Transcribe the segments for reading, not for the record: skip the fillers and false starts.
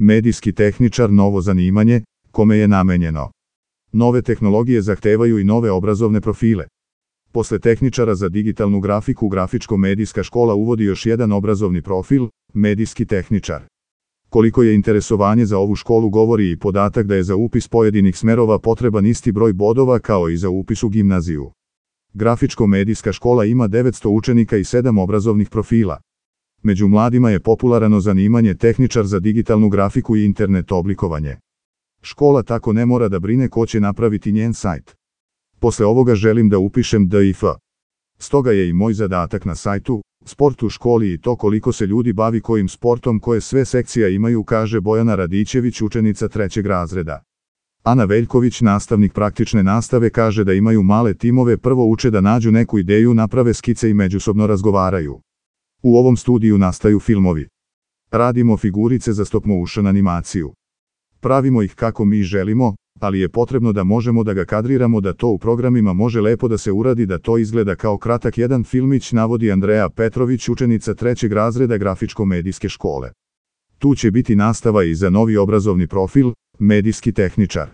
medijski tehničar novo zanimanje, kome je namenjeno. Nove tehnologije zahtevaju i nove obrazovne profile. Posle tehničara za digitalnu grafiku, grafičko-medijska škola uvodi još jedan obrazovni profil, medijski tehničar. Koliko je interesovanje za ovu školu govori i podatak da je za upis pojedinih smerova potreban isti broj bodova kao i za upis u gimnaziju. Grafičko-medijska škola ima 900 učenika i 7 obrazovnih profila. Među mladima je popularno zanimanje tehničar za digitalnu grafiku i internet oblikovanje. Škola tako ne mora da brine ko će napraviti njen sajt. Posle ovoga želim da upišem DIF. Stoga je i moj zadatak na sajtu, sport u školi i to koliko se ljudi bavi kojim sportom, koje sve sekcija imaju, kaže Bojana Radićević, učenica 3. razreda. Ana Veljković, nastavnik praktične nastave, kaže da imaju male timove, prvo uče da nađu neku ideju, naprave skice i međusobno razgovaraju. U ovom studiju nastaju filmovi. Radimo figurice za stop motion animaciju. Pravimo ih kako mi želimo, ali je potrebno da možemo da ga kadriramo, da to u programima može lepo da se uradi, da to izgleda kao kratak jedan filmić, navodi Andreja Petrović, učenica 3. razreda grafičko-medijske škole. Tu će biti nastava i za novi obrazovni profil, medijski tehničar.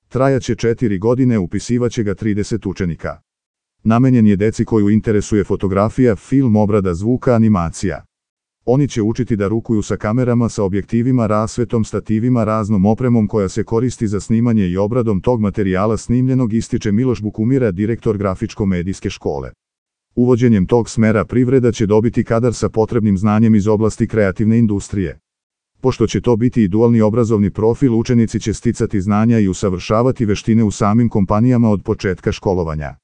Trajaće 4 godine, upisivaće ga 30 učenika. Namenjen je deci koju interesuje fotografija, film, obrada zvuka, animacija. Oni će učiti da rukuju sa kamerama, sa objektivima, rasvetom, stativima, raznom opremom koja se koristi za snimanje i obradom tog materijala snimljenog, ističe Miloš Bukumira, direktor grafičko-medijske škole. Uvođenjem tog smera privreda će dobiti kadar sa potrebnim znanjem iz oblasti kreativne industrije. Pošto će to biti i dualni obrazovni profil, učenici će sticati znanja i usavršavati veštine u samim kompanijama od početka školovanja.